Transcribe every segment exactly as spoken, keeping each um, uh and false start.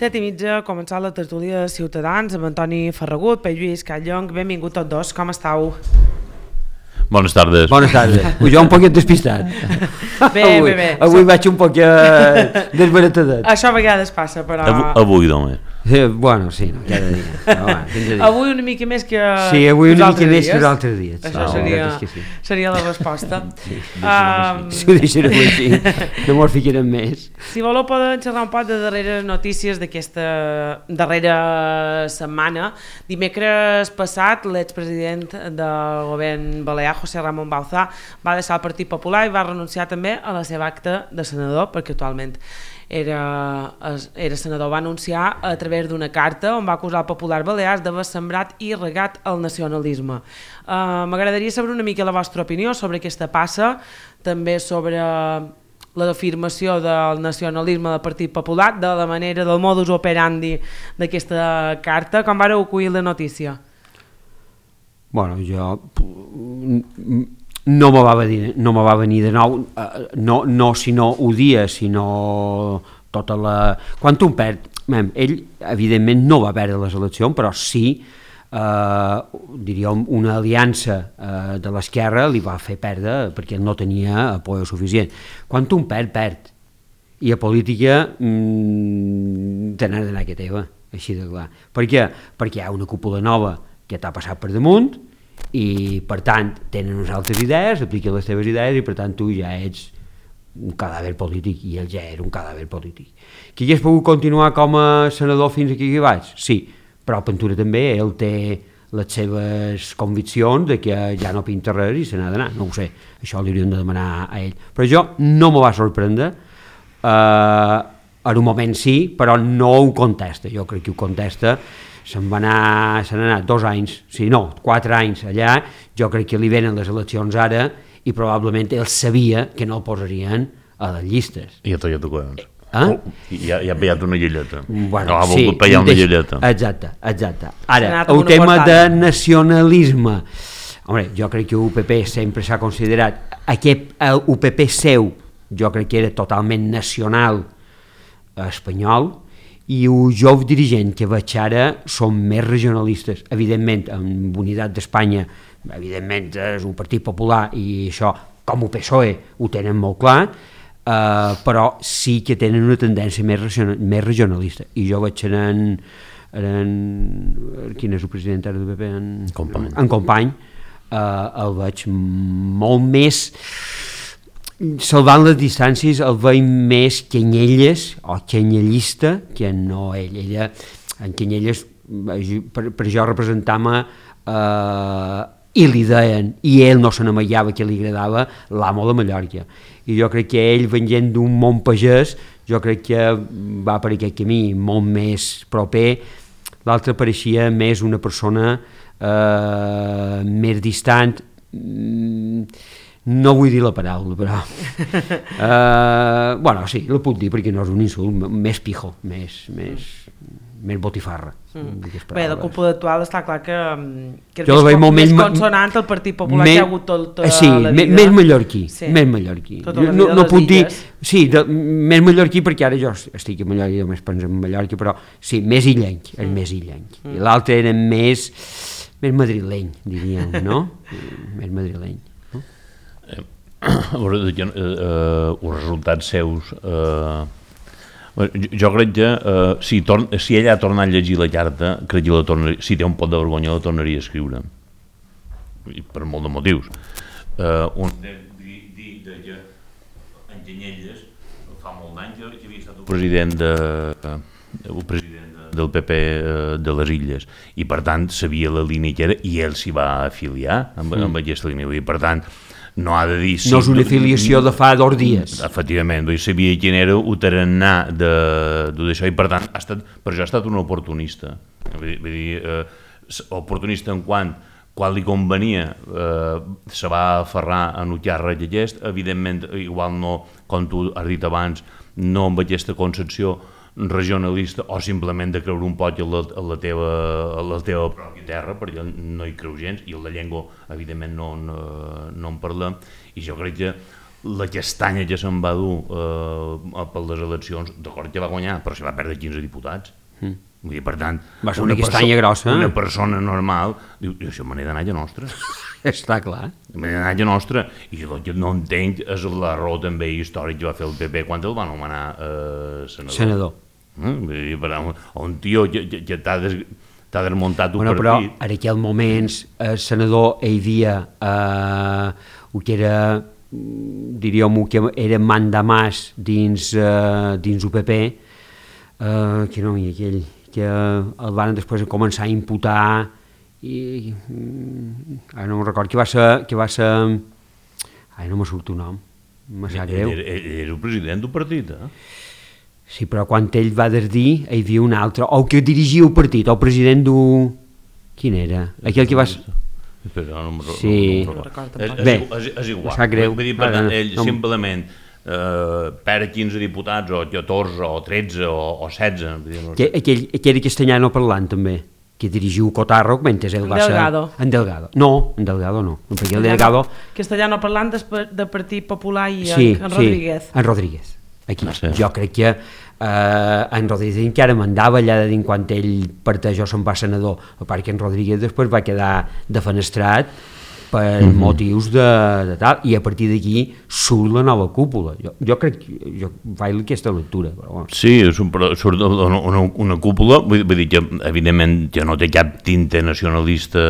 Set i mitja, ha començat la tertúlia de Ciutadans amb Antoni Ferragut, Pere Lluís Catllong. Benvingut tots dos, com estàu? Bones tardes. Bones tardes. Jo un poquet despistat. Bé, avui, bé, bé. Avui vaig un poquet desbaratadet. Això a vegades passa, però... Avui, avui doncs. Eh, bueno, sí, no, cada dia. No, va, dia. Avui una mica més que sí, avui una mica més dies. que els altres dies. Això no, seria, sí. seria la resposta. Sí, um, si ho deixarem així, no mos ficarem més. Si voleu poden xerrar un poc de darreres notícies d'aquesta darrera setmana. Dimecres passat, l'expresident del govern balear, José Ramón Bauzá, va deixar el Partit Popular i va renunciar també a la seva acta de senador, perquè actualment era, era senador. Va anunciar a través d'una carta on va acusar el Popular Balears d'haver sembrat i regat el nacionalisme. Uh, M'agradaria saber una mica la vostra opinió sobre aquesta passa, també sobre l'afirmació del nacionalisme del Partit Popular, de la manera, del modus operandi d'aquesta carta. Com vareu acollir la notícia? Bueno, jo... no me va venir, no me va venir de nou, no, no si no ho dia, sinó tota la... Quan un perd, ell evidentment no va perdre les eleccions, però sí, eh, diríem, una aliança eh, de l'esquerra li va fer perdre perquè no tenia apoyo suficient. Quan un perd, perd. I a política mmm, te n'has d'anar que teva, així de clar. Per què? Perquè hi ha una cúpula nova que t'ha passat per damunt, i per tant tenen unes altres idees, apliquen les teves idees i per tant tu ja ets un cadàver polític i ell ja era un cadàver polític. Que hagués pogut continuar com a senador fins aquí que vaig? Sí, però Ventura també, ell té les seves conviccions de que ja no pinta res i se n'ha d'anar, no ho sé, això li hauríem de demanar a ell, però jo no me va sorprendre, eh, en un moment sí, però no ho contesta, jo crec que ho contesta. Se'n va anar, se n'ha anat dos anys, sí, no, quatre anys allà, jo crec que li venen les eleccions ara i probablement ell sabia que no el posarien a les llistes. I ja t'ho collons. Eh? Oh, ja, ja ha pillat una llelleta. Bueno, no, ha sí, volgut pillar una llelleta. Exacte, exacte. Ara, el tema de nacionalisme, home, jo crec que U P P sempre s'ha considerat, aquest U P P seu, jo crec que era totalment nacional espanyol, i els joves dirigents que veig ara són més regionalistes, evidentment amb Unitat d'Espanya, evidentment és un partit popular i això com el P S O E ho tenen molt clar, eh, però sí que tenen una tendència més, regional, més regionalista i jo veig en, en quin és el president ara del P P? En Company, en Company eh, el veig molt més salvant les distàncies, el veig més Canyelles o canyellista que no ell. Ella, en Canyelles, per, per jo representava eh, i li deien, i ell no se n'amagava que li agradava l'amo de Mallorca. I jo crec que ell, venint d'un món pagès, jo crec que va per aquest camí molt més proper. L'altre pareixia més una persona eh, més distant, no vull dir la paraula, però uh, bueno, sí, la puc dir perquè no és un insult, més pijo, més, més, més botifarra. Mm. Bé, la cúpula actual està clar que, que és jo més, com, més consonant el Partit Popular me, que ha hagut tota sí, la vida. Més mallorquí, sí. més mallorquí. Tota la vida no, no puc dir, sí, de, més mallorquí perquè ara jo estic a Mallorca i només penso en Mallorca, però sí, més illenc, és mm. més illenc. Mm. I l'altre era més, més madrileny, diríem, no? Més madrileny. Eh, eh, els resultats seus eh, jo, jo crec que eh, si, torn, si ella ha tornat a llegir la carta, crec que la tornaria, si té un pot de vergonya la tornaria a escriure per molt de motius. eh, un de dir que en Canyelles fa molt d'anys que havia estat el president de, el president del P P de les Illes i per tant sabia la línia que era i ell s'hi va afiliar amb, amb aquesta línia i per tant no ha de dir... No és una afiliació de fa dos dies. Efectivament, sabia quin era el tarannà d'això i per tant ha estat, per això ha estat un oportunista. Vull dir, eh, oportunista en quant quan li convenia eh, se va aferrar en el càrrec aquest, evidentment, igual no, com tu has dit abans, no amb aquesta concepció regionalista o simplement de creure un poc a la, a la, teva, a la teva pròpia terra, perquè no hi creu gens, i la llengua, evidentment, no, no, no en parlem, i jo crec que la castanya que se'n va dur eh, per les eleccions, d'acord que va guanyar, però se va perdre quinze diputats. Mm. Vull dir, per tant, va ser una castanya grossa. Una persona normal diu, això me n'he d'anar a nostra. Està clar. Me n'he d'anar a nostra. I el que no entenc és l'error també històric que va fer el P P quan el va anomenar eh, senador. Senador. Eh? Vull dir, per tant, un tio que, que, que t'ha des, desmuntat un bueno, partit. Però en aquell moment el senador hi havia eh, el que era, diríem, que era mandamàs dins, eh, dins U P P, eh, que no hi ha aquell... que el van després començar a imputar i ara no me'n record que va ser que va ser ai no me surt un nom me sap greu. Era, era el president del partit, eh? Sí, però quan ell va desdir hi havia un altre, o que dirigia el partit, el president d'un... quin era? Aquell que va ser... Però no, no, sí. no, no recordo. És, Bé, és, és igual. me sap greu. Vull dir, per tant, ell no, simplement Uh, perd quinze diputats o catorze o tretze o, o setze no sé. aquell, aquell castellano parlant també que dirigiu Cotarro mentre ell va ser en Delgado, no, en Delgado no perquè el Delgado castellano parlant de Partit Popular i sí, en Rodríguez sí, en Rodríguez aquí. No sé. Jo crec que eh, en Rodríguez encara mandava allà de dins quan ell parteix o se'n va senador, a part que en Rodríguez després va quedar defenestrat per mm-hmm. motius de, de tal, i a partir d'aquí surt la nova cúpula. Jo, jo crec que jo faig aquesta lectura. Però, bueno. Sí, surt una, una, una cúpula, vull, vull dir que evidentment que no té cap tinte nacionalista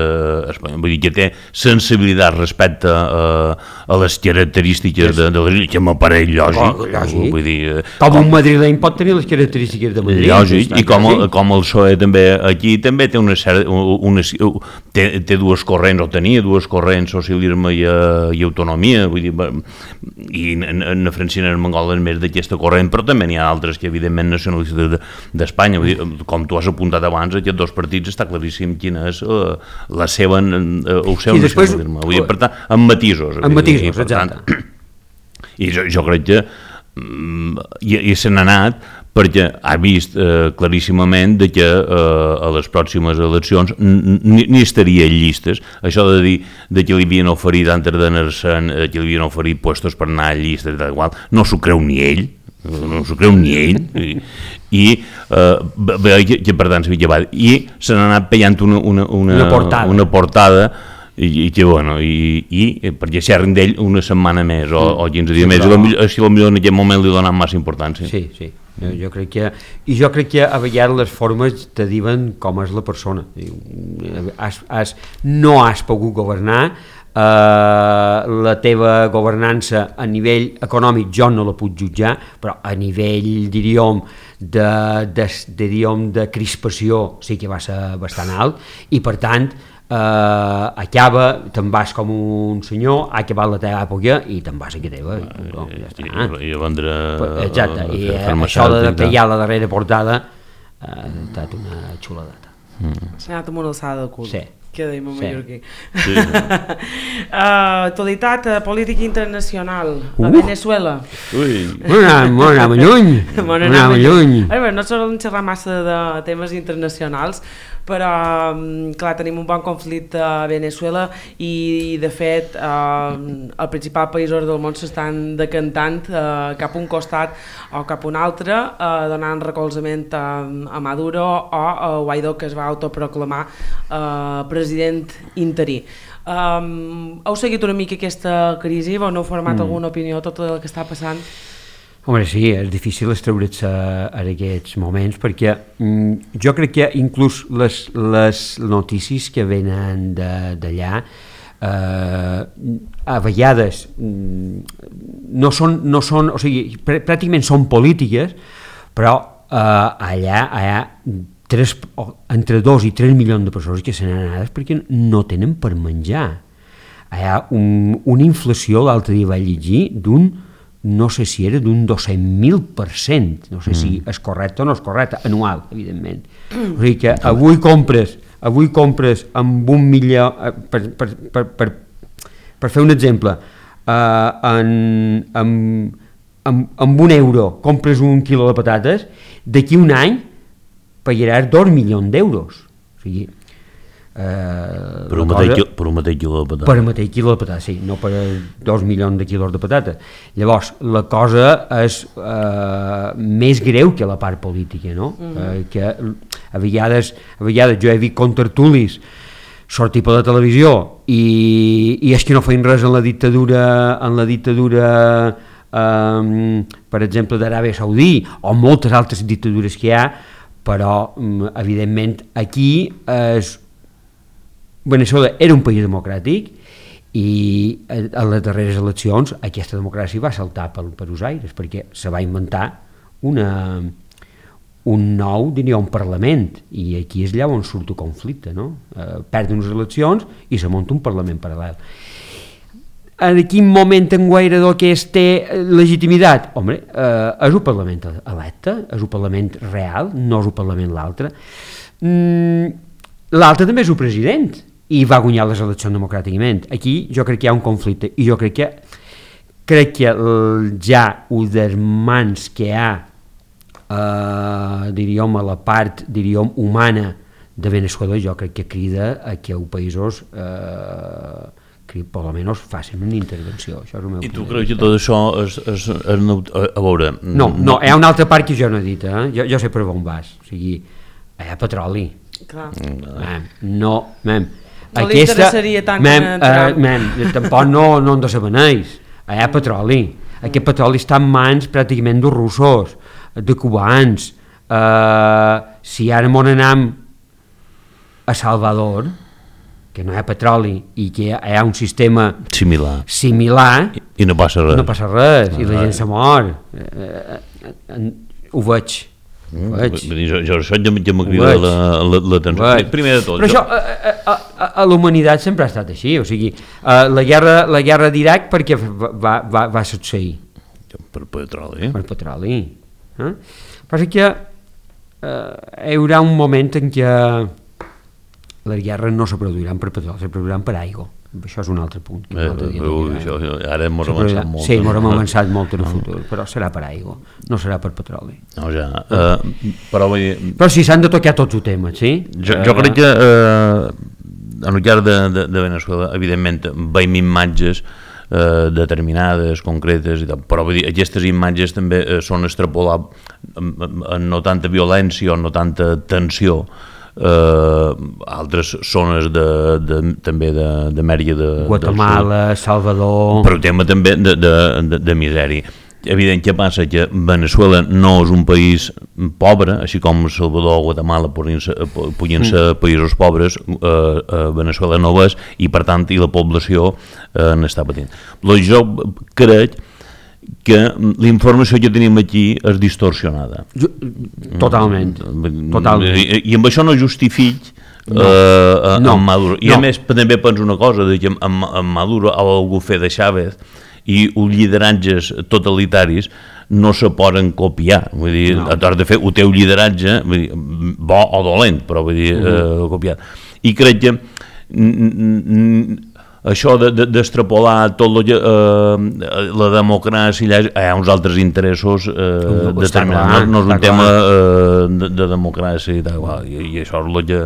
espanyol, vull dir que té sensibilitat respecte a, a les característiques de, de la que m'apareix lògic. lògic. Vull dir, com, com un madrileny pot tenir les característiques de Madrid. Lògic, i com, el, com el P S O E també aquí també té una, una, té, té dues corrents, o tenia dues corrents, socialisme i, uh, i autonomia, vull dir, i en Francina en Mangola és més d'aquesta corrent, però també n'hi ha altres que evidentment nacionalistes d'Espanya, vull dir, com tu has apuntat abans, aquests dos partits està claríssim quina és uh, la seva, uh, el seu després, nacionalisme, vull dir, per tant, amb matisos. Amb matisos, dir, exacte. Tant, I jo, jo crec que um, i, i se n'ha anat perquè ha vist eh, claríssimament de que eh, a les pròximes eleccions ni estaria en llistes. Això de dir de que li havien oferit antes d'anar-se, eh, que li havien oferit puestos per anar a llistes, igual, no s'ho creu ni ell, no s'ho creu ni ell, i, i eh, que, que per tant s'havia llevat. I se n'ha anat pellant una, una, una, una portada, una portada i, i que bueno, i, i perquè xerren d'ell una setmana més o, o quinze dies sí, més, però... i potser en aquest moment li donen massa importància. Sí, sí. Jo, jo crec que, i jo crec que a vegades les formes te diuen com és la persona. Has, has, no has pogut governar, eh, la teva governança a nivell econòmic jo no la puc jutjar, però a nivell, diríem, de, de, diríem, de crispació sí que va ser bastant alt, i per tant Uh, acaba, te'n vas com un senyor, ha acabat la teva època i te'n vas a que teva i, no, ja està. I, i a vendre exacte, i això de pegar la darrera portada ha estat una xuladata. Mm. S'ha anat amb una alçada de cul. Sí. Que dèiem a Mallorquí. Sí. uh, actualitat uh, política internacional a uh. Venezuela. Ui. M'ho anàvem lluny. M'ho anàvem lluny. No solem xerrar massa de temes internacionals, però clar, tenim un bon conflicte a Venezuela i de fet eh, el principal països del món s'estan decantant eh, cap a un costat o cap a un altre, eh, donant recolzament a, a Maduro o a Guaidó, que es va autoproclamar eh, president interí. Um, heu seguit una mica aquesta crisi? Vau heu format mm. alguna opinió tot el que està passant? Home, sí, és difícil estreure's en aquests moments perquè mm, jo crec que inclús les, les notícies que venen d'allà eh, a vegades mm, no són, no són, o sigui, pr pràcticament són polítiques, però eh, allà hi ha tres, entre dos i tres milions de persones que se n'han anat perquè no tenen per menjar. Hi ha un, una inflació, l'altre dia vaig llegir, d'un no sé si era d'un dos-cents mil per cent, no sé mm. si és correcte o no és correcte, anual, evidentment. O sigui que avui compres, avui compres amb un milió, per, per, per, per, per fer un exemple, uh, en, amb, amb, amb un euro compres un quilo de patates, d'aquí un any pagaràs dos milions d'euros. O sigui, Eh, per, un cosa, mateix, per un mateix quilo de patata. Per un mateix quilo de patata, sí, no per dos milions de quilos de patata. Llavors, la cosa és eh, més greu que la part política, no? Mm. Eh, que a vegades, a vegades jo he vist contertulis sortir per la televisió i, i és que no feien res en la dictadura, en la dictadura eh, per exemple, d'Aràbia Saudí o moltes altres dictadures que hi ha, però evidentment aquí és Veneçuela era un país democràtic i a les darreres eleccions aquesta democràcia va saltar per, per els aires perquè se va inventar una, un nou, diria, un Parlament i aquí és allà on surt el conflicte, no? Eh, perden unes eleccions i se munta un Parlament paral·lel. En quin moment en guaire que es té legitimitat? Home, eh, és un Parlament electe, és un Parlament real, no és un Parlament l'altre. Mm, l'altre també és un president i va guanyar les eleccions democràticament. Aquí jo crec que hi ha un conflicte i jo crec que crec que ja ho dels mans que hi ha eh, diríem a la part diríem humana de Veneçuela, jo crec que crida a que els països eh, que per almenys facin una intervenció. Això és el meu I tu creus que tot això és, és, és a, a veure... No, no, hi ha una altra part que jo no he dit, eh? jo, jo sé per on vas, o sigui, hi ha petroli. Clar. Mem, no, mem, no aquesta, li interessaria tant mem, que uh, mem, tampoc no, no en de sabeneix, hi ha petroli, aquest petroli està en mans pràcticament dels russos, de cubans, uh, si ara m'on anem a Salvador, que no hi ha petroli i que hi ha un sistema similar, similar i, i no passa res, no passa res, no, i la gent se mor, eh, eh, eh, ho veig. Mm, jo, jo això ja, ja m'ha cridat l'atenció. La, la primer de tot. Però jo... això a, a, a, a la humanitat sempre ha estat així, o sigui, uh, la guerra, la guerra d'Iraq perquè va, va, va succeir? Per petroli. Per petroli. Eh? Passa que uh, hi haurà un moment en què les guerres no se produiran per petroli, se produiran per aigua. Això és un altre punt. Eh, altre dia uh, això, ara hem avançat molt. Sí, hem avançat molt en el futur, però serà per aigua, no serà per petroli. No, ja. Uh, però, vull dir... però si s'han de tocar tots els temes, sí? Jo, jo crec que uh, en el llarg de, de, de Veneçuela, evidentment, veiem imatges uh, determinades, concretes, i tal, però vull dir, aquestes imatges també uh, són extrapolables en no tanta violència o no tanta tensió. Uh, altres zones de, de, també d'Amèrica de, Guatemala, Salvador, per un tema també de, de, de, de misèria. Evident que passa que Veneçuela no és un país pobre, així com Salvador o Guatemala podien ser, podien ser mm. països pobres, eh, eh, Veneçuela no és, i per tant i la població eh, n'està patint. Però jo crec que l'informació que tenim aquí és distorsionada. Totalment. Totalment. I, i amb això no justific no. eh, no. en Maduro. I no. a més també penso una cosa, que en, en Maduro o algú fer de Chávez i els lideratges totalitaris no se poden copiar. Vull dir, no. Has de fer el teu lideratge, vull dir, bo o dolent, però vull dir, uh-huh. eh, copiat. I crec que això d'extrapolar tot lo, eh, la democràcia, hi ha uns altres interessos eh, determinats, no, no és un tema eh, de, de democràcia i tal, i, i això és el que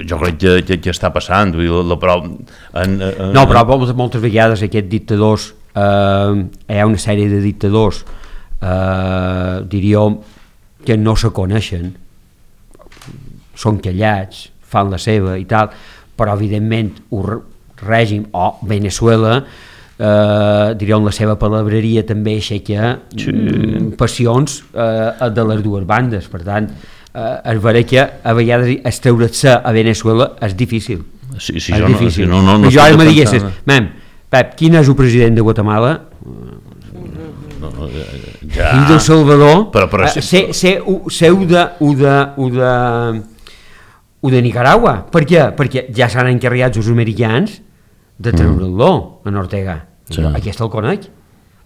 jo crec que, que, que està passant. Vull dir, la, però, en, en, no, però moltes vegades aquests dictadors, eh, hi ha una sèrie de dictadors, eh, diríem, que no se coneixen, són callats, fan la seva i tal, però evidentment ho règim o Veneçuela eh, diríem la seva palabreria també aixeca sí. mm, passions eh, de les dues bandes, per tant eh, es veurà que a vegades estreure-se a Veneçuela és difícil, sí, sí, és difícil no, no, no, no jo ara me diguessis, mem, Pep, quin és el president de Guatemala? No, ja. Fill del Salvador, però, però, eh, sé, sé, sé u de u de, u de o de Nicaragua. Per què? Perquè ja s'han encarregat els americans de treure-lo mm. en Ortega. Sí. Aquest el conec.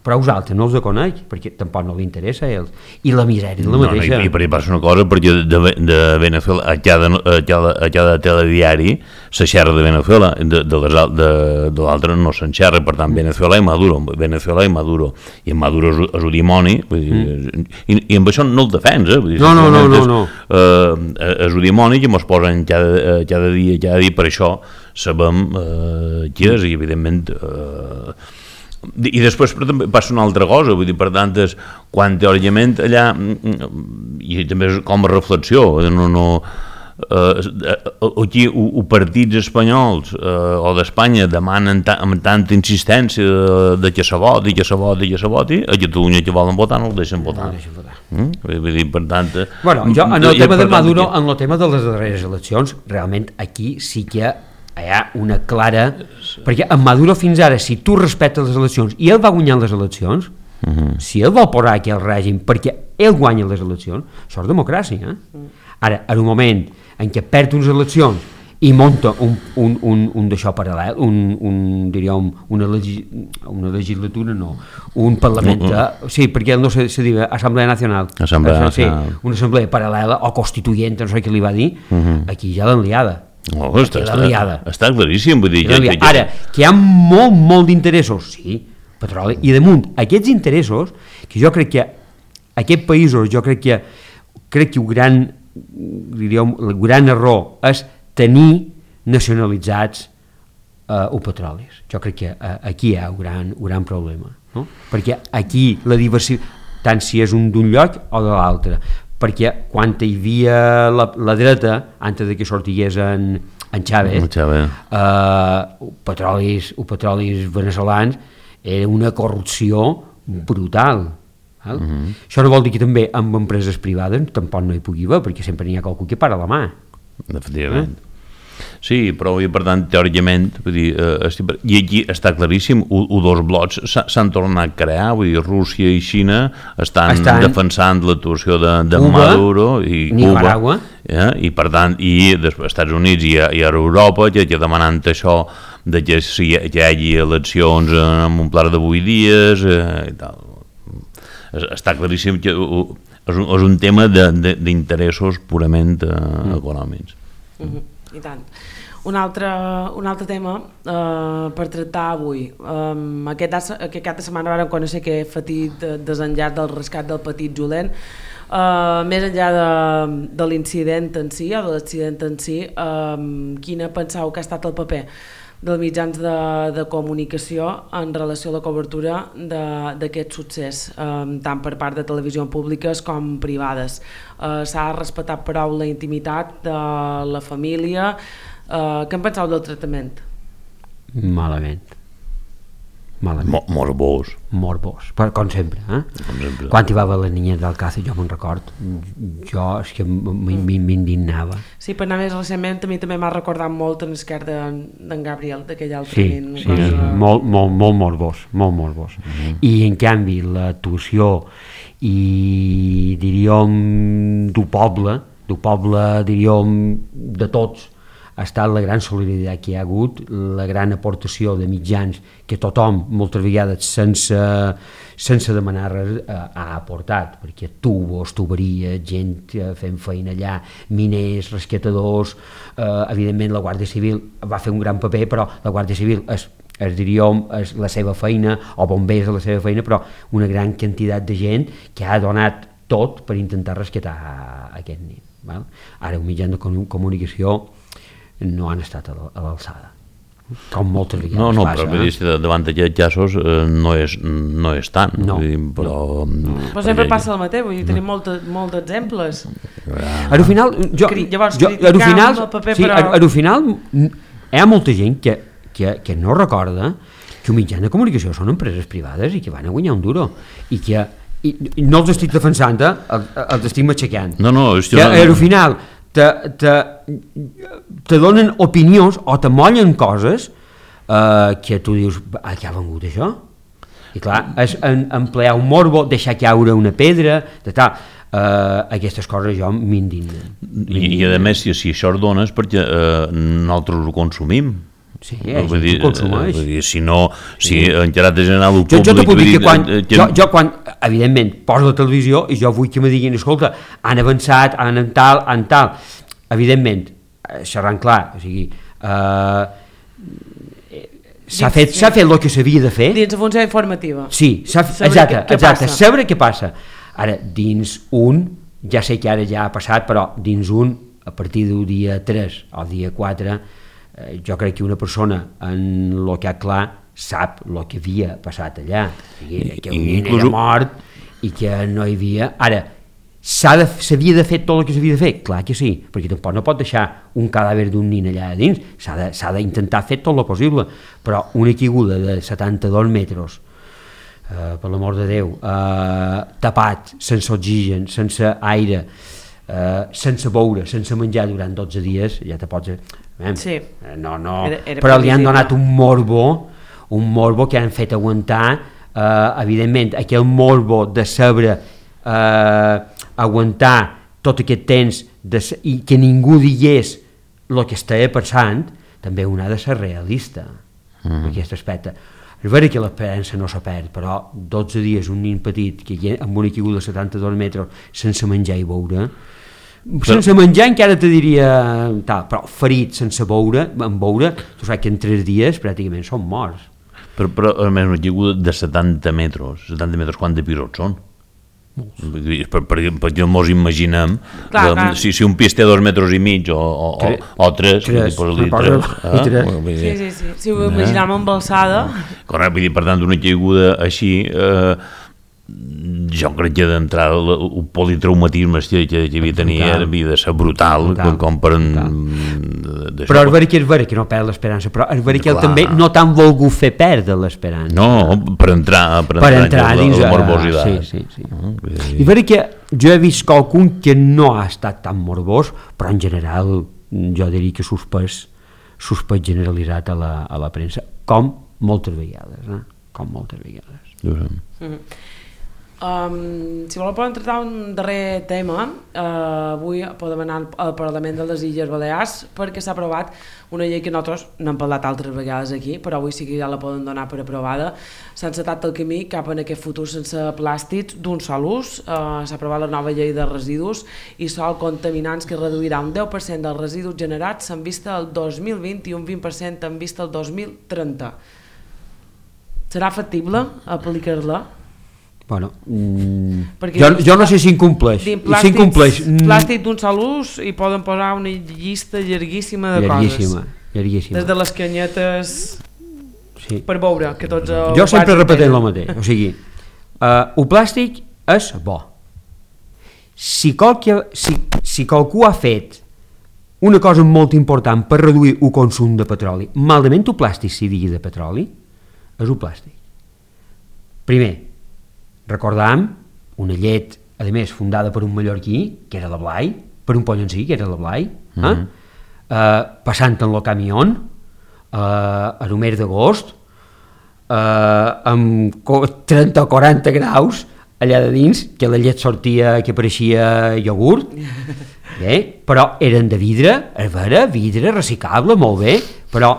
però els altres no els coneix, perquè tampoc no li interessa a ells, i la misèria és la mateixa. No, no, i, i per passa una cosa, perquè de, de Venezuela, a cada, a cada, a cada telediari se xerra de Venezuela, de, de, les, de, de l'altre no se'n xerra, per tant, Venezuela i Maduro, Venezuela i Maduro, i en Maduro és, és un dimoni, vull dir, mm. i, i amb això no el defens, eh? Vull dir, no, no, no, no, no. Eh, és un dimoni que ens posen cada, cada dia, cada dia, per això sabem eh, qui és, i evidentment... Eh, i després també passa una altra cosa, vull dir, per tant, és, quan teòricament allà, i també és com a reflexió, no, no, eh, aquí els partits espanyols eh, o d'Espanya demanen ta, amb tanta insistència de que se voti, que se voti, que se voti, a Catalunya que volen votar no el deixen votar. No deixen votar. Mm? Vull dir, per tant... Bueno, jo, en el tema de Maduro, en el tema de les darreres eleccions, realment aquí sí que hi ha una clara... Perquè en Maduro fins ara, si tu respectes les eleccions i ell va guanyar les eleccions, uh -huh. si ell vol posar aquí el règim perquè ell guanya les eleccions, això és democràcia. Eh? Uh. Ara, en un moment en què perd unes eleccions i munta un, un, un, un d'això paral·lel, un, un, diríem, una, legi, una legislatura, no, un parlament, uh -huh. sí, perquè no se, se diu Assemblea Nacional, Assemblea Nacional. Sí, una assemblea paral·lela o constituent, no sé què li va dir, uh -huh. aquí ja l'han liada. Oh, està, està, està claríssim, vull dir, ja, ja, ara, que hi ha molt, molt d'interessos, sí, petroli, i damunt aquests interessos, que jo crec que aquests països, jo crec que crec que el gran, diríem, el gran error és tenir nacionalitzats eh, els petrolis. Jo crec que eh, aquí hi ha un gran, un gran problema, no? Perquè aquí la diversitat, tant si és un d'un lloc o de l'altre, perquè quan hi havia la, la dreta, antes de que sortigués en, en Chávez, Chávez. Eh, petrolis, els petrolis veneçolans era una corrupció brutal. Val? Uh-huh. Això no vol dir que també amb empreses privades tampoc no hi pugui haver, perquè sempre n'hi ha qualcú que para la mà. Efectivament. Eh? Sí, però i per tant, teòricament, vull dir, eh, i aquí està claríssim, els dos blocs s'han tornat a crear, vull dir, Rússia i Xina estan, estan defensant l'actuació de, de Cuba, Maduro i Nicaragua. Cuba, eh? I per tant, i després Estats Units i a, i a Europa, que, que demanant això de que, si, que hi hagi eleccions en un pla de vuit dies eh, i tal. Està claríssim que és un, és un tema d'interessos purament eh, mm. econòmics. Mm-hmm. I tant. Un altre, un altre tema eh, per tractar avui. Um, aquest, aquest cap de setmana vam conèixer que Petit desenllaç del rescat del petit Julen. Uh, més enllà de, de l'incident en si o de l'accident en si, um, quina penseu que ha estat el paper dels mitjans de, de comunicació en relació a la cobertura d'aquest succés, um, tant per part de televisions públiques com privades? Uh, s'ha respectat prou la intimitat de la família? Uh, què en penseu del tractament? Malament. Malament. Mo morbós. Morbós, però com sempre. Eh? Com sempre. Quan hi va haver la niña d'Alcácer, jo me'n record, jo és que m'indignava. Sí, per anar més recentment, a mi també m'ha recordat molt en l'esquerda d'en Gabriel, d'aquell altre. Sí, nin, sí cosa... molt, molt, molt morbós, molt morbós. Mm-hmm. I en canvi l'actuació i diríem du poble, du poble diríem de tots, ha estat la gran solidaritat que hi ha hagut, la gran aportació de mitjans que tothom, moltes vegades sense, sense demanar res, eh, ha aportat, perquè tubos, tuberies, gent fent feina allà, miners, rescatadors, eh, evidentment la Guàrdia Civil va fer un gran paper, però la Guàrdia Civil és, és, diríem, és la seva feina, o bombers és la seva feina, però una gran quantitat de gent que ha donat tot per intentar rescatar aquest nen. Val? Ara, un mitjà de comunicació no han estat a l'alçada, com moltes vegades no, no, passa. Però eh? davant d'aquests casos eh, no, és, no és tant. No, dir, però, no. Però sempre passa el mateix, vull dir, tenim molts molta exemples. Ah. Al final, jo, Llavors, jo, al final, el paper, sí, però... al final hi ha molta gent que, que, que no recorda que un mitjà de comunicació són empreses privades i que van a guanyar un duro i que i, i no els estic defensant, eh? els, els estic matxacant. No, no, és que no... al final te, te, te donen opinions o te mollen coses eh, que tu dius, a què ha vengut això? I clar, és en, emplear un morbo, deixar caure una pedra, de tal, eh, aquestes coses jo m'indignen. I, I a més, si, si això es dona és perquè eh, nosaltres ho consumim. Sí, eh, vull dir, consumeix. Vull dir, si no, si sí. En caràcter general ho jo, jo te puc dir que quan, que... jo, jo quan, evidentment, poso la televisió i jo vull que me diguin, escolta, han avançat, han en tal, han tal, evidentment, xerrant clar, o sigui, eh, s'ha fet, s'ha fet el que s'havia de fer. Dins la funció informativa. Sí, exacte, què, què exacte, passa. saber què passa. Ara, dins un, ja sé que ara ja ha passat, però dins un, a partir del dia tres o dia quatre, eh, jo crec que una persona en el que ha clar sap el que havia passat allà. O sigui, que un nen era mort i que no hi havia... Ara, s'havia de, de fer tot el que s'havia de fer? Clar que sí, perquè tampoc no pot deixar un cadàver d'un nen allà dins, s'ha d'intentar fer tot el possible, però una caiguda de setanta-dos metres, eh, per l'amor de Déu, eh, tapat, sense oxigen, sense aire, eh, sense beure, sense menjar durant dotze dies, ja te pots... Eh, sí. no, no, era, era però li han donat un morbo, un morbo que han fet aguantar, eh, evidentment, aquell morbo de saber eh, aguantar tot aquest temps de, i que ningú digués el que estava passant, també un ha de ser realista mm. en aquest aspecte. És vera que l'esperança no se perd, però dotze dies un nin petit que amb una caiguda de setanta-dos metres sense menjar i beure, sense menjar encara te diria tal, però ferit sense beure, en beure, tu saps que en tres dies pràcticament són morts. Però, però a més, una caiguda de setanta metres, setanta metres, quant de pisos són? Per, per, perquè mos imaginem clar, de, clar. Si, si un pis té dos metres i mig o, o, tres, o tres, tres, dir, tres, eh? tres. Sí, sí, sí. Si ho imaginem amb alçada, correcte, vull dir, per tant, una caiguda així, eh, jo crec que d'entrada el politraumatisme que, que havia tenir havia de ser brutal, brutal com per en... però és vera que és vera que no perd l'esperança, però és vera que ell també no t'han volgut fer perdre l'esperança, no, per entrar per, per entrar dins la, la morbositat, sí, sí, sí. Uh, i vera que jo he vist qualcun que no ha estat tan morbós, però en general jo diria que suspès suspès generalitzat a la, a la premsa, com moltes vegades, eh? com moltes vegades. Mm-hmm. Um, si voleu podem tractar un darrer tema, uh, avui podem anar al Parlament de les Illes Balears perquè s'ha aprovat una llei que nosaltres n'hem parlat altres vegades aquí, però avui sí que ja la poden donar per aprovada. S'ha encetat el camí cap en aquest futur sense plàstics d'un sol ús. Uh, s'ha aprovat la nova llei de residus i sol contaminants que reduirà un deu per cent dels residus generats en vista al dos mil vint i un vint per cent en vista al dos mil trenta. Serà factible aplicar-la? Bueno, mm, jo, jo no sé si incompleix. Si incompleix plàstic d'un sol ús i poden posar una llista llarguíssima de llarguíssima, coses. Llarguíssima. Des de les canyetes sí. per veure que tots... Jo sempre repetent el mateix, o sigui, uh, el plàstic és bo. Si, qualque, si, si qualcú ha fet una cosa molt important per reduir el consum de petroli, malament el plàstic si digui de petroli, és el plàstic. Primer, recordàvem una llet, a més, fundada per un mallorquí, que era la Blai, per un pollencí, que era la Blai, eh? Mm-hmm. eh, passant en el camió, eh, a el mes d'agost, eh, amb trenta o quaranta graus, allà de dins, que la llet sortia, que pareixia iogurt, bé, però eren de vidre, és vera, vidre, reciclable, molt bé, però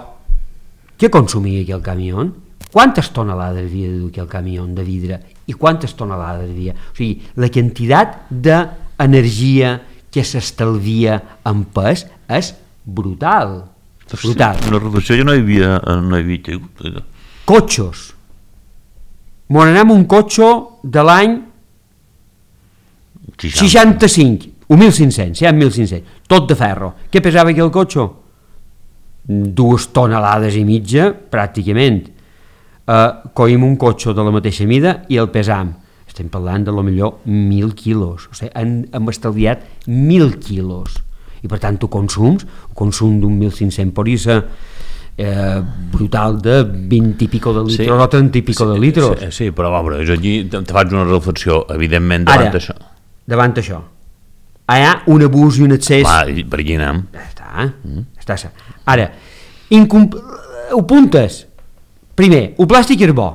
què consumia aquell camió? Quantes tonelades havia de dur aquell camió de vidre i quantes tonelades havia? O sigui, la quantitat d'energia que s'estalvia en pes és brutal. Brutal. La reducció ja no hi havia, no hi havia caigut. Cotxos. M'on anem un cotxe de l'any seixanta-cinc, o mil cinc-cents, ja mil cinc-cents, tot de ferro. Què pesava aquell cotxe? Dues tonelades i mitja, pràcticament. Uh, coïm un cotxe de la mateixa mida i el pesam, estem parlant de lo millor mil quilos, o sigui, hem, hem estalviat mil quilos i per tant tu consums, el consum d'un mil cinc-cents podria ser eh, brutal de vint i pico de litres sí. o trenta i pico sí, de litres sí, sí, però a veure, jo aquí te faig una reflexió evidentment davant Ara, això davant això hi ha un abús i un excés. Va, per aquí anem. Ja està, mm. ja està. Ara, incomp... ho puntes. Primer, el plàstic és bo,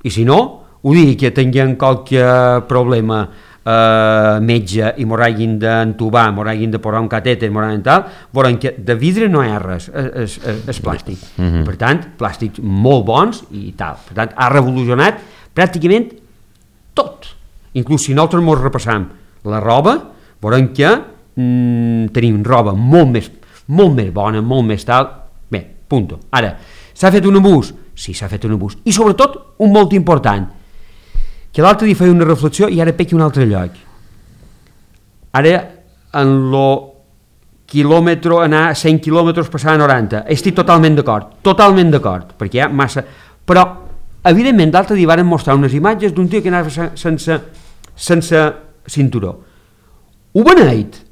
i si no, ho dic que tinguem qualque problema eh, metge i m'ho hagin d'entubar, m'ho hagin de posar un catèter, m'ho hagin tal, veurem que de vidre no hi ha res, és, és, és plàstic. Mm-hmm. Per tant, plàstics molt bons i tal. Per tant, ha revolucionat pràcticament tot. Inclús si nosaltres ens repassam la roba, veurem que mm, tenim roba molt més, molt més bona, molt més tal. Bé, punto. Ara, s'ha fet un abús? Sí, s'ha fet un abús. I sobretot, un molt important, que l'altre dia feia una reflexió i ara pequi un altre lloc. Ara, en lo quilòmetre, anar a cent quilòmetres passar a noranta, estic totalment d'acord, totalment d'acord, perquè hi ha massa... Però, evidentment, l'altre dia van mostrar unes imatges d'un tio que anava sense, sense cinturó. Ho beneit,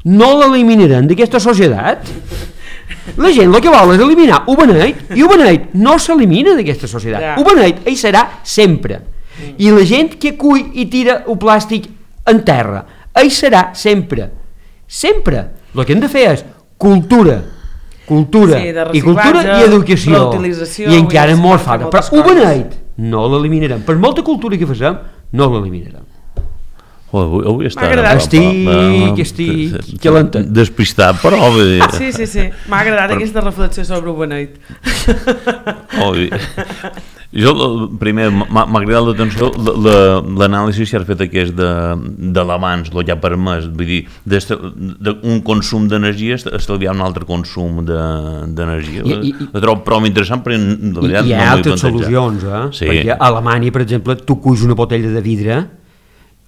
no l'eliminaran d'aquesta societat? La gent el que vol és eliminar ho beneit, i ho beneit no s'elimina d'aquesta societat. Yeah. Ho beneit hi serà sempre. Mm. I la gent que cull i tira el plàstic en terra, hi serà sempre. Sempre. El que hem de fer és cultura, cultura, sí, i cultura i educació. I encara molt falta. Però ho beneit no l'eliminarem. Per molta cultura que facem, no l'eliminarem. Oh, avui, avui està... Estic, estic calentat. Despistat, però... Sí, sí, sí. M'ha agradat però... aquesta reflexió sobre ho beneit. Oh, jo, primer, m'ha agradat l'atenció l'anàlisi que has fet aquest de, de l'abans, el que ha permès, vull dir, d'un consum d'energia estalviar un altre consum d'energia. La trobo prou interessant, però la veritat hi ha no altres solucions, eh? Sí. Perquè a Alemanya, per exemple, tu cuis una botella de vidre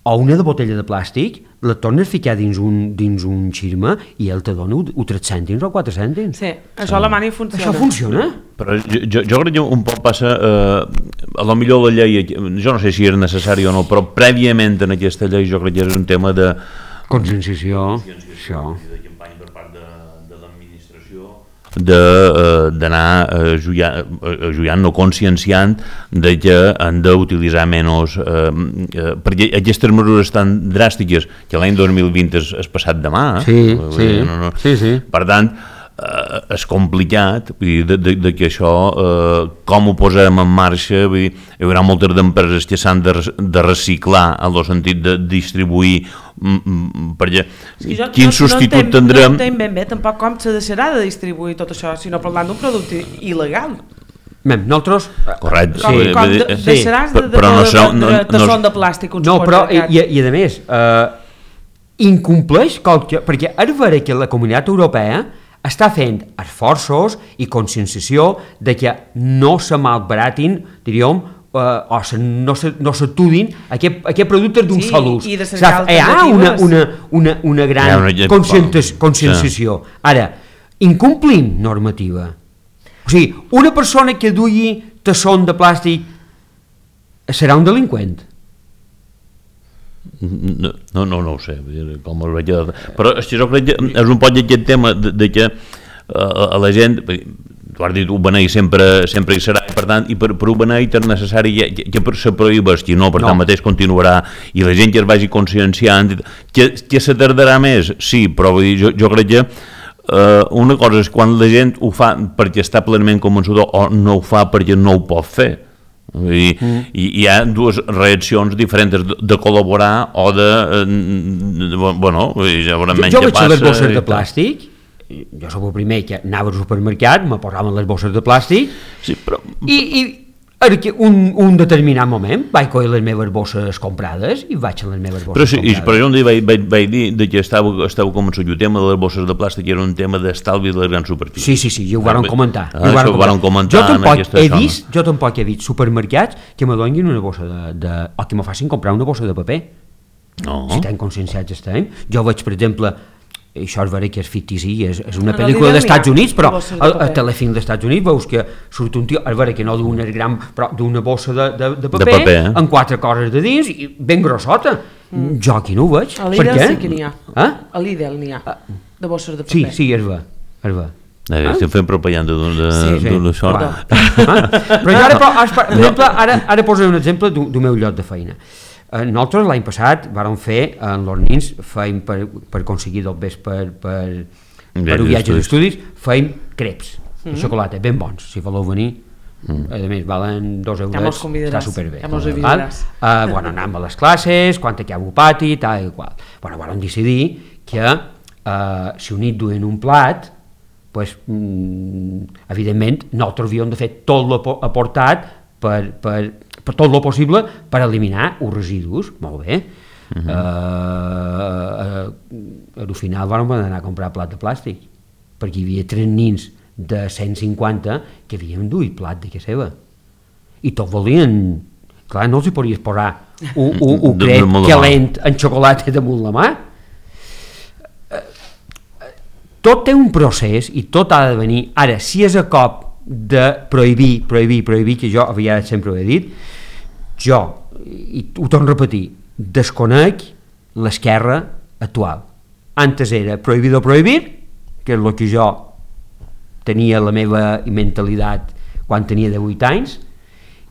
o una de botella de plàstic, la tornes a ficar dins un, dins un xirma i ell te dona o tres cèntims o quatre cèntims. Sí, això a Alemanya funciona. Això funciona? Però jo, jo, jo crec que un poc passa, eh, a lo millor la llei, jo no sé si és necessari o no, però prèviament en aquesta llei jo crec que és un tema de... Conscienciació, això. d'anar ajudant, no conscienciant de que han d'utilitzar menys eh, eh, perquè aquestes mesures tan dràstiques que l'any dos mil vint és, és passat demà sí, sí, no, no. sí, sí. Per tant eh, és complicat vull dir, de, de, de que això eh, com ho posem en marxa vull dir, hi haurà moltes d'empreses que s'han de, de reciclar en el sentit de distribuir perquè sí, jo, quin no, substitut no tindrem no entenc ben bé tampoc com se deixarà de distribuir tot això sinó parlant d'un producte il·legal. Mem, nosaltres... Correcte. Com, sí, com de, sí. deixaràs de, de, però no de, serà, no, de, de, de no, son de plàstic uns no, però, i, i i a més eh, incompleix qualque, perquè ara veure que la Comunitat Europea està fent esforços i conscienciació de que no se malbaratin, diríem, Uh, o se, no s'atudin aquest, aquest productes d'un sí, sol ús. I de hi ha una, una, una, una gran una conscienciació. Sí. Ara, incomplim normativa. O sigui, una persona que dugui tassons de plàstic serà un delinqüent? No, no, no, no ho sé, com es veig... Però és que jo crec que és un poc aquest tema de, de que uh, a la gent... Tu has dit, ho beneir sempre, sempre hi serà, per tant, i per, per ho beneir és necessari que, que se prohibeix, que no, per no. tant mateix continuarà, i la gent que es vagi conscienciant, que, que se tardarà més, sí, però vull dir, jo, jo crec que uh, una cosa és quan la gent ho fa perquè està plenament convençuda o no ho fa perquè no ho pot fer. Vull dir, mm. i hi ha dues reaccions diferents de, de col·laborar o de, de, de bueno, ja veurem menys què passa. Jo veig les bosses de i plàstic, jo soc el primer que anava al supermercat, me posaven les bosses de plàstic sí, però... i, i un, un determinat moment vaig coure les meves bosses comprades i vaig a les meves bosses però sí, comprades. Però jo un dia vaig, vaig, vaig dir de que estava, estava convençut que el tema de les bosses de plàstic era un tema d'estalvi de les grans superfícies. Sí, sí, sí, ja ho varen comentar. Ah, ho varen comentar. comentar jo, tampoc he vist, jo tampoc he vist supermercats que me donin una bossa de, de... o que me facin comprar una bossa de paper. No. Si tan conscienciats estem. Jo veig, per exemple, això és vera que és fictici, és, és una pel·lícula dels Estats Units, però al, al telefilm dels Estats Units veus que surt un tio, és vera que no d'una gran, però d'una bossa de, de, de paper, de paper eh? amb quatre coses de dins i ben grossota. Mm. Jo aquí no ho veig. A l'Idel sí que n'hi ha. Eh? A l'Idel n'hi ha, de bosses de paper. Sí, sí, és ver, és ver. Eh, estem fent propaganda d'això. Sí, sí. Ah. Però jo ara, però, per exemple, ara, ara posaré un exemple d'un meu lloc de feina. Nosaltres l'any passat vàrem fer en els nins, feim per, per aconseguir del bes per, per, per un viatge d'estudis, feim creps de xocolata, ben bons, si voleu venir Mm. A més, valen dos euros, ja està superbé. Ja mos avisaràs. Uh, bueno, anàvem a les classes, quan acabo pati, tal i qual. Bueno, vam decidir que uh, si un nit duien un plat, pues, mm, evidentment, nosaltres havíem de fer tot el aportat per, per, per tot el possible per eliminar els residus. Molt bé. Uh-huh. uh, uh, al final vam anar a comprar plat de plàstic, perquè hi havia tres nins de cent cinquanta que havien duit plat de casa seva i tots volien, clar, no els hi podies posar un, un, un cret calent en xocolata damunt la mà. Tot té un procés i tot ha de venir. Ara, si és a cop de prohibir, prohibir, prohibir, que jo havia sempre ho he dit, jo, i ho torno a repetir, desconec l'esquerra actual. Antes era prohibir o prohibir, que és el que jo tenia la meva mentalitat quan tenia divuit anys,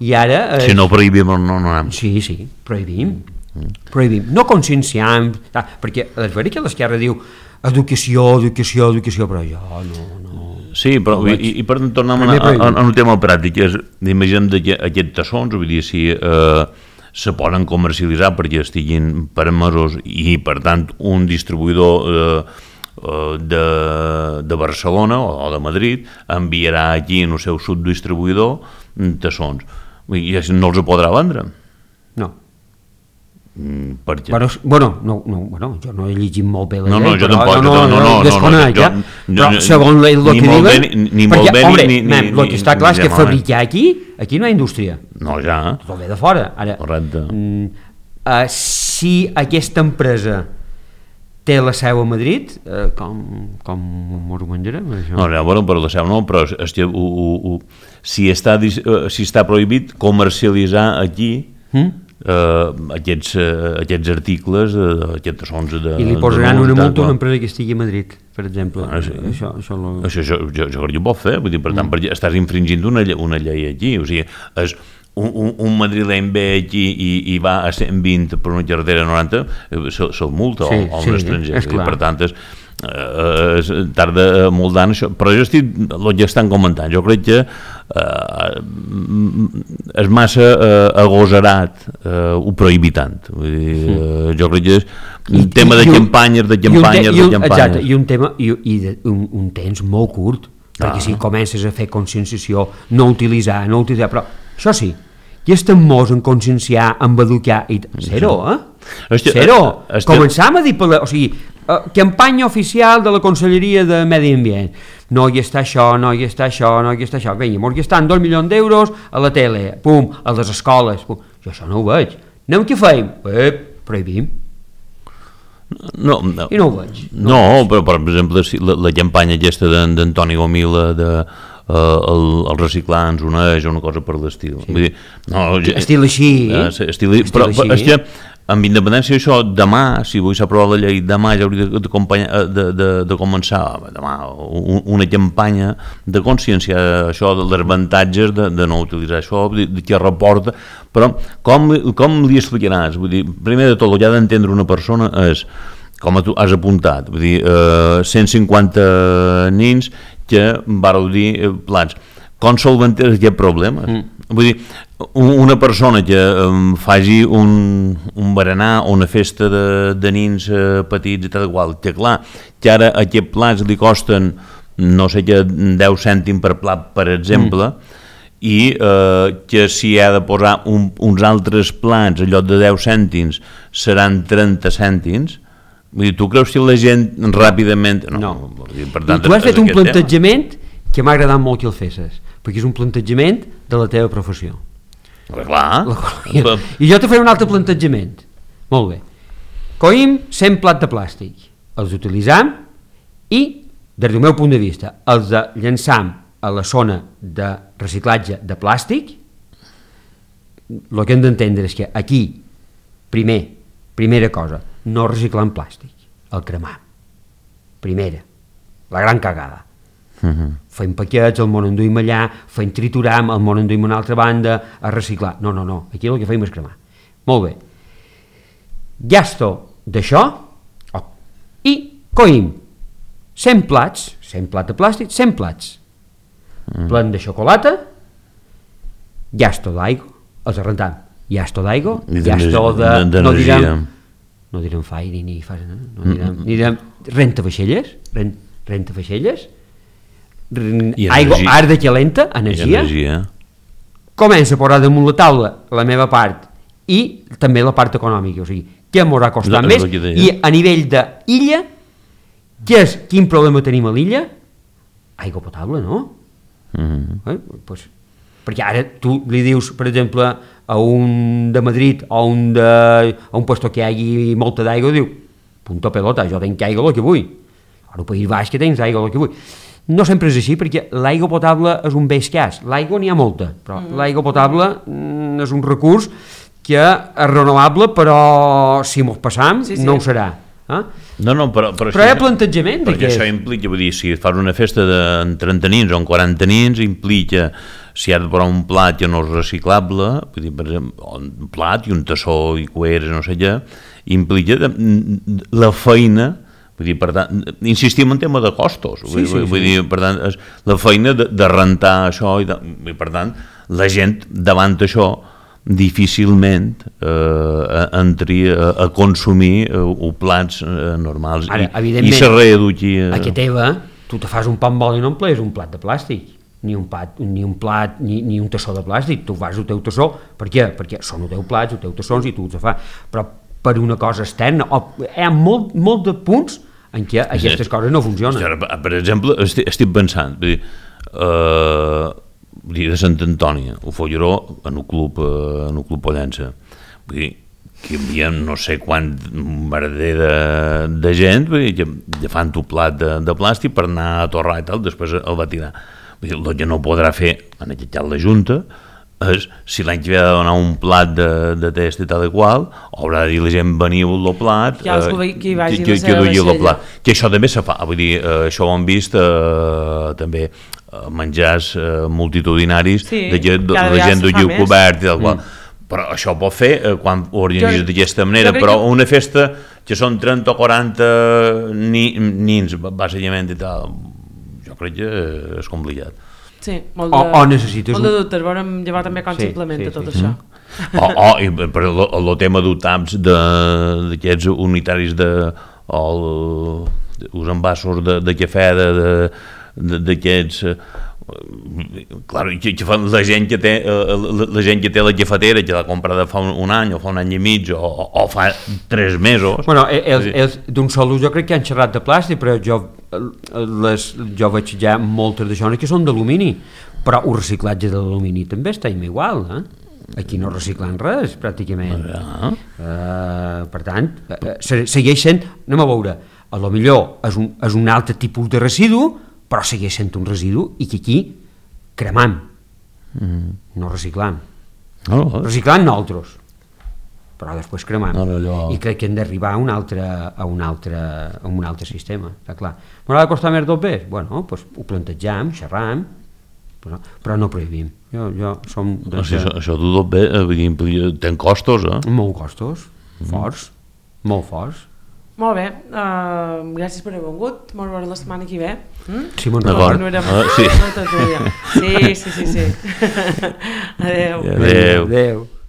i ara... Eh, si no prohibim, no, no anem. Sí, sí, prohibim. Mm. Prohibim. No conscienciam, ah, perquè és veritat que l'esquerra diu educació, educació, educació, però jo no... no sí, però no i, i per tornar a, a, a, a un tema pràctic, és, imaginem aquests tassons, vull dir, si eh, se poden comercialitzar perquè estiguin permesos i, per tant, un distribuïdor... Eh, De, de Barcelona o de Madrid enviarà aquí en el seu subdistribuïdor tassons i no els podrà vendre. No. Mm, per què? Bueno, bueno, no, no, bueno, jo no he llegit molt bé la no, llei, no, jo però tampoc, no, no, no, no, desconec, ja, però segons el que diuen, ni, ni molt perquè, bé, hombre, ni, ni, el que està clar és que fabricar aquí, aquí no hi ha indústria. No, ja. Tot ve de fora. Ara, correcte. Mm, uh, si aquesta empresa té la seu a Madrid, eh, com, com ho menjarem, això? No, no, bueno, però la seu no, però és que, u, u, u, si, està, si està prohibit comercialitzar aquí mm? eh, aquests, uh, aquests articles, uh, aquests sons de... I li posaran una multa a una empresa que estigui a Madrid, per exemple. Ah, sí. Això, això, lo... això jo, jo, jo crec que ho pot fer, vull dir, per tant, mm. per, estàs infringint una, una llei aquí, o sigui, és... Un, un, un madrileny ve aquí i, i va a cent vint per una carretera noranta, se'l se multa sí, o, o sí, un estranger, i per tant és, eh, és, tarda molt d'anys això, però jo estic, el que estan comentant, jo crec que eh, és massa eh, agosarat eh, ho prohibir tant, vull dir, eh, jo crec que és un tema de campanyes, de campanyes, de campanyes. Exacte, i un tema, i, i de, un, un temps molt curt, perquè ah. si comences a fer conscienciació, no utilitzar, no utilitzar, però això sí, i estem molts en conscienciar, en educar, i zero, eh? Este, zero. Este... Començam a dir, per la, o sigui, uh, campanya oficial de la Conselleria de Medi Ambient. No hi està això, no hi està això, no hi està això. Vinga, mos gastant dos milions d'euros a la tele, pum, a les escoles, pum. Jo això no ho veig. Anem què feim? Eh, prohibim. No, no. I no ho veig. No, no ho veig. Però per exemple, la, la campanya aquesta d'Antoni Gomila de... Uh, el, el reciclar ens uneix o una cosa per l'estil. Sí. Vull dir, no, estil així. Uh, estil, estil però, així. Però és que, amb independència d'això, demà, si vull s'aprovar la llei, demà ja hauria de, de, de, de, de començar demà, un, una campanya de consciència, això dels avantatges de, de no utilitzar això, de, de què reporta, però com, com li explicaràs? Vull dir, primer de tot, el que ha d'entendre una persona és, com tu has apuntat, vull dir, uh, cent cinquanta nins que vareu dir eh, plats. Com solventer aquest problema? Mm. Vull dir, una persona que um, faci un, un berenar o una festa de, de nins eh, petits i tal igual, que clar, que ara aquests plats li costen no sé què, deu cèntims per plat, per exemple, mm. i eh, que si ha de posar un, uns altres plats en lloc de deu cèntims seran trenta cèntims. Vull dir, tu creus que la gent ràpidament... No. no. Dir, per tant, I tu has fet un plantejament tema. Que m'ha agradat molt que el fessis, perquè és un plantejament de la teva professió. Però clar. La, I jo te faré un altre plantejament. Molt bé. Coïm cent plats de plàstic, els utilitzam i, des del meu punt de vista, els de llançam a la zona de reciclatge de plàstic. El que hem d'entendre és que aquí, primer, primera cosa, no reciclant plàstic, el cremar. Primera, la gran cagada. Uh-huh. Fem paquets, el món enduïm allà, fem trituram, el món enduïm a una altra banda, a reciclar. No, no, no, aquí el que fem és cremar. Molt bé. Gasto d'això oh. i coïm cent plats, cent plats de plàstic, cent plats. Uh-huh. Plen de xocolata gasto d'aigua, els arrentam, gasto d'aigua, I gasto de... d'energia. No direm, no direm fairi ni fas, no, no direm, mm. direm renta vaixelles, rent, renta vaixelles, I aigua, energia. arda calenta, energia, energia. comença a posar damunt la taula la meva part i també la part econòmica, o sigui, què m'haurà costat No, més, és el que deia. i a nivell d'illa, què és, quin problema tenim a l'illa? Aigua potable, no? Mm. Eh? Pues, perquè ara tu li dius, per exemple, a un de Madrid o a un, de, a un puesto que hi hagi molta d'aigua, diu, punto pelota, jo tenc aigua el que vull. Ara al País Baix que tens aigua el que vull. No sempre és així, perquè l'aigua potable és un bé escàs. L'aigua n'hi ha molta, però mm. l'aigua potable mm, és un recurs que és renovable, però si mos passam, sí, sí. no ho serà. Eh? No, no, però, però, però hi ha plantejament. Perquè això implica, vull dir, si fas una festa de trenta nins o en quaranta nins, implica, si has de posar un plat que no és reciclable, vull dir, per exemple, un plat i un tassó i cueres, no sé què, implica de, de, la feina. Vull dir, per tant, insistim en tema de costos, vull, sí, sí, vull sí. dir, per tant, és la feina de, de rentar això i, de, i per tant, la gent davant això difícilment eh, entri a, a consumir eh, plats eh, normals. Ara, I, i se reeduqui a... a que teva, tu te fas un pa amb oli i no emplees un plat de plàstic, ni un plat, ni un, plat, ni, ni un tassó de plàstic, tu fas el teu tassó, per què? Perquè són els teus plats, els teus tassons i tu els fas, però per una cosa externa, o, hi ha molt, molt de punts en què aquestes sí. coses no funcionen. Per exemple, estic, estic pensant, vull dir, eh, vull dir, de Sant Antoni, ho Folleró, en un club, eh, en un club Pollença, vull dir, que hi havia no sé quant merder de, de gent, vull dir, que fan un plat de, de plàstic per anar a torrar i tal, després el va tirar. Vull dir, el que no podrà fer, en aquest cas la Junta, és, si l'any que ve ha de donar un plat de, de test i tal i qual, haurà de dir la gent veniu el plat, ja eh, que, vagi que, que, que el plat. Que això també se fa, vull dir, eh, això ho hem vist eh, també eh, menjars eh, multitudinaris, sí, de gent, de, la gent d'ho lliu cobert i tal qual. Mm. Però això ho pot fer eh, quan ho organitzes d'aquesta manera, però que... una festa que són trenta o quaranta ni, nins, bàsicament i tal, jo crec que és complicat. Sí, molt de, o, o necessites molt de dubtes, veurem llevar també com sí, s'implementa sí, tot sí, això. Mm. O, o i per el tema d'UTAPs d'aquests unitaris de, o els envasos de, de cafè d'aquests clar, que, que fan la gent que té la, la gent que té la cafetera que l'ha comprada fa un, un any o fa un any i mig o, o fa tres mesos. Bueno, els, els d'un sol ús jo crec que han xerrat de plàstic, però jo les, jo veig ja moltes d'això que són d'alumini, però el reciclatge de l'alumini també està igual, eh? Aquí no reciclen res, pràcticament. Uh, per tant, uh, segueix sent, anem a veure, a lo millor és un, és un altre tipus de residu, però segueix sent un residu i que aquí cremam, mm. no reciclam. No, no. Reciclam nosaltres, però després cremam. No, no, no. I crec que hem d'arribar a un altre, a un altre, a un altre sistema, està clar. M'haurà de costar més dos bes? Bueno, doncs ho plantejam, xerram, però, però no prohibim. Jo, jo som... O sigui, això, això de dos bes ten costos, eh? Molt costos, forts, mm. molt forts. Molt bé, uh, gràcies per haver vingut, molt bé la setmana que ve. Mm? Sí, molt d'acord. Ah, sí. Sí, sí, sí, sí. Adéu. Adéu. Adéu.